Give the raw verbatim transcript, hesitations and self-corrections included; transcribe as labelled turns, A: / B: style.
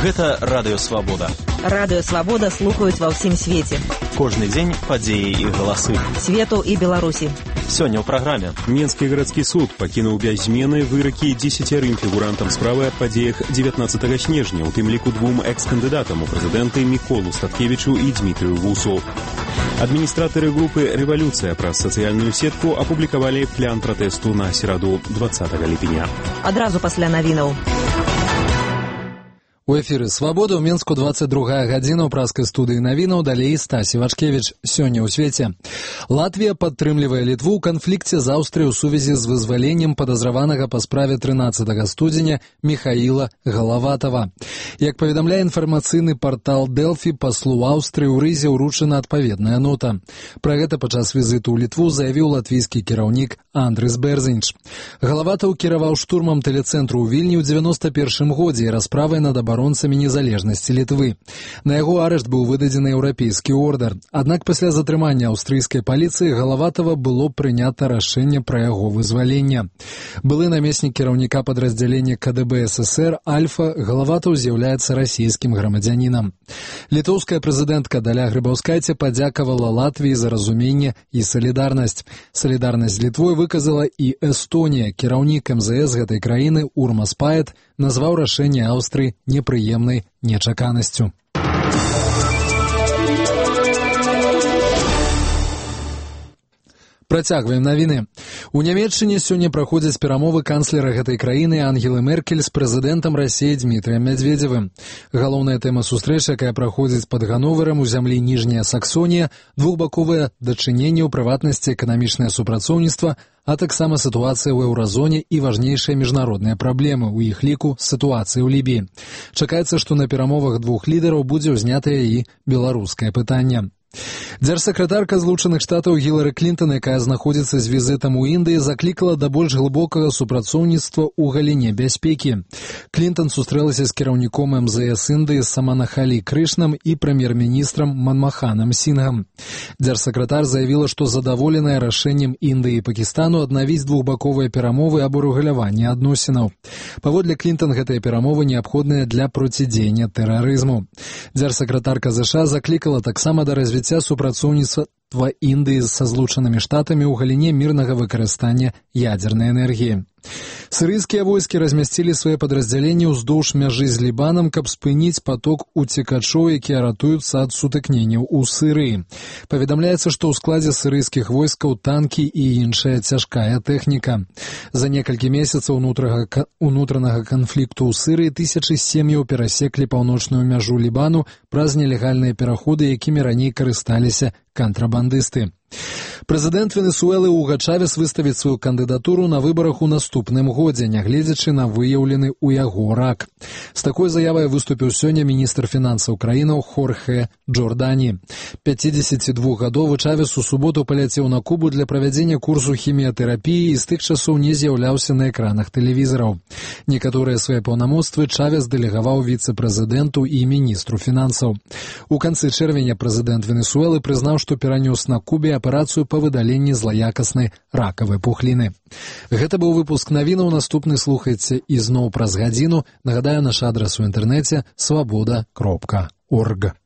A: Гэта Радыё Свабода.
B: Радыё Свабода слухаюць ва ўсім свеце.
A: Кожны дзень падзеі і галасы.
B: Свету і Беларусі.
A: Сёння ў праграме.
C: Менскі гарадскі суд пакінуў без змены выракі дзесяцярым фігурантам справы аб падзеях дзевятнаццатага снежня, у тым ліку двум экс-кандыдатам у прэзідэнты Міколу Статкевічу і Дмітрыю Вусу. Адміністратары групы «Рэвалюцыя» праз сацыяльную сетку апублікавалі план пратэсту на сераду дваццатага ліпеня.
B: Адразу пасля навінаў.
D: У эфіры «Свабода» ў Менску двадцать другая гадзіна ў праскай студыі навінаў, далей Стасі Вачкевіч. Сёння ў свеце. Латвія падтрымлівае Літву ў канфлікце з Аўстрыяй у сувязі з вызваленнем падазраванага па справе трынаццатага студзеня Міхаіла Галаватава. Як паведамляе інфармацыйны партал Дэлфі, паслу Аўстрыі ў Рызе ўручана адпаведная нота. Пра гэта падчас візіту ў Літву заявіў латвійскі кіраўнік Андрыс Берзінч. Галаватаў кіраваў штурмам тэлецэнтру ў Вільні ў дзевяноста першым годзе і расправай над абаронцамі незалежнасці Літвы. На яго арышт быў выдадзены еўрапейскі ордэр. Аднак пасля затрымання аўстрыйскай паліцыі Галаватава было прынята рашэнне пра яго вызвалення. Былы намеснік кіраўніка падраздзялення ка дэ бэ эс эсэр Альфа Галаватаў з'яўляецца расійскім грамадзянінам. Літоўская прэзідэнтка Даля Грыбаўскайце падзякавала Латвіі за разуменне і салідарнасць. Салідарнасць з Літвой выказала і Эстонія. Кіраўнік эм зэ эс гэтай краіны Урмас Паэт назваў рашэнне Аўстрыі непрыемнай нечаканасцю. Працягваем навіны. У Нямецчыне сёння праходзяць перамовы канцлера гэтай краіны Ангелы Меркель з прэзідэнтам Расіі Дмітрыем Мядзведзевым. Галоўная тэма сустрэчы, якая праходзіць пад Ганноверам у зямлі Ніжняя Саксонія, двухбаковыя дачыненні, у прыватнасці эканамічнае супрацоўніцтва, а таксама сітуацыя ў еўразоне і важнейшыя міжнародныя праблемы, у іх ліку сітуацыі ў Лібіі. Чакаецца, што на перамовах двух лідараў будзе ўзнятае і беларускае пытанне. Дзяржсакратарка Злучаных Штатаў Гілары Клінтон, якая знаходзіцца з візітам у Індыі, заклікала да больш глыбокага супрацоўніцтва ў галіне бяспекі. Клінтон сустрэлася з кіраўніком эм зэ эс Індыі Саманахалі Крышнам і прэм'ер-міністрам Манмаханам Сінгам. Дзяржсакратар заявіла, што задаволеная рашэннем Індыі і Пакістану аднавіць двухбаковыя перамовы аб урэгуляванні адносінаў. Паводле Клінтон, гэтыя перамовы неабходныя для процідзеяння тэрарызму. Дзяржсакратарка ЗША заклікала таксама да развіцця супрацоўніцтва Індыі са Злучанымі Штатамі ў галіне мірнага выкарыстання ядзернай энергіі. Сірыйскія войскі размясцілі свае падраздзяленні ўздоўж мяжы з Лібанам, каб спыніць поток уцекачоў, якія ратуюцца ад сутыкненняў у Сірыі. Паведамляецца, што ў складзе сірыйскіх войскаў танкі і іншая цяжкая тэхніка. За некалькі месяцаў унутранага канфлікту ў Сірыі тысячы сем'яў перасеклі паўночную мяжу Лібану праз нелегальныя пераходы, якімі раней карысталіся кантрабандысты. Прэзідэнт Венесуэлы Уга Чавес выставіць сваю кандыдатуру на выбарах у наступным годзе, нягледзячы на выяўлены ў яго рак. З такой заявай выступіў сёння міністр фінансаў краінаў Хорхе Джордані. пяцідзесятидвухгадовы Чавес у суботу паляцеў на Кубу для правядзення курсу хіміятэрапіі і з тых часоў не з'яўляўся на экранах тэлевізараў. Некаторыя свае паўнамоцтвы Чавес дэлегаваў віцэ-прэзідэнту і міністру фінансаў. У канцы чэрвеня прэзідэнт Венесуэлы прызнаў, што перанёс на Кубе аперацыю па выдаленні злаякаснай ракавай пухліны. Гэта быў выпуск навінаў, наступны слухайце ізноў праз гадзіну. Нагадаю, наш адрас у інтэрнэце свабода кропка орг.